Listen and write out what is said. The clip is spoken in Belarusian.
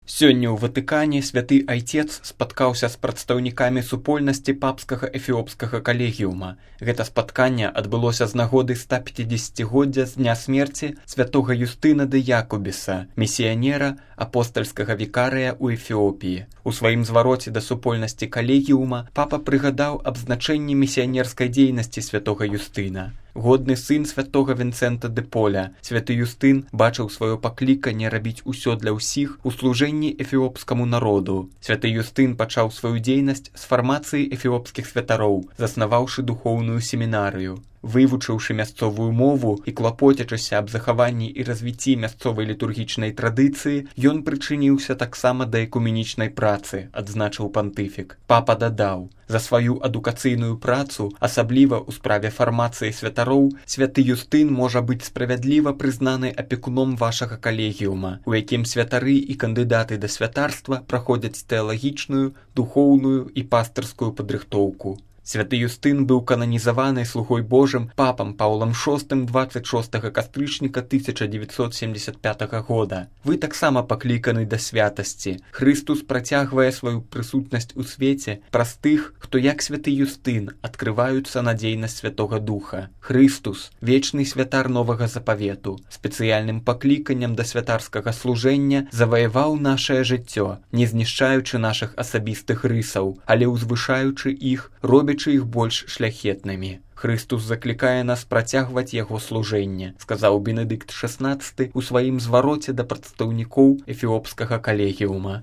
Сёння ў Ватыкане святы айцец спаткаўся з прадстаўнікамі супольнасці папскага эфіопскага калегіума. Гэта спатканне адбылося з нагоды 150-годдзя з дня смерці святога Юстына дэ Якубіса, місіянера апостальскага вікарыя ў Эфіопіі. У сваім звароце да супольнасці калегіума папа прыгадаў аб значэнні місіянерскай дзейнасці святога Юстына. Годны сын святога Вінцэнта дэ Поля, святы Юстын бачыў сваё пакліканне рабіць усё для ўсіх у служэнні эфіопскаму народу. Святы Юстын пачаў сваю дзейнасць з фармацыі эфіопскіх святароў, заснаваўшы духоўную семінарыю. Вывучыўшы мясцовую мову і клапоцячыся аб захаванні і развіцці мясцовай літургічнай традыцыі, ён прычыніўся таксама да экуменічнай працы, адзначыў пантыфік. Папа дадаў: за сваю адукацыйную працу, асабліва ў справе фармацыі святароў, святы Юстын можа быць справядліва прызнаны апекуном вашага калегіума, у якім святары і кандыдаты да святарства праходзяць тэалагічную, духоўную і пастырскую падрыхтоўку. Святы Юстын быў кананізаваны слугой Божым папам Паўлам VI 26 кастрычніка 1975 года. Вы таксама пакліканы да святасці. Хрыстус працягвае сваю прысутнасць у свеце праз тых, хто як святы Юстын адкрываюцца на дзейнасць Святога Духа. Хрыстус, вечны святар новага запавету, спецыяльным пакліканнем да святарскага служэння заваяваў нашае жыццё, не знішчаючы нашых асабістых рысаў, але ўзвышаючы іх, робячы іх больш шляхетнымі. Хрыстус заклікае нас працягваць яго служэнне, сказаў Бенедыкт XVI у сваім звароце да прадстаўнікоў эфіопскага калегіума.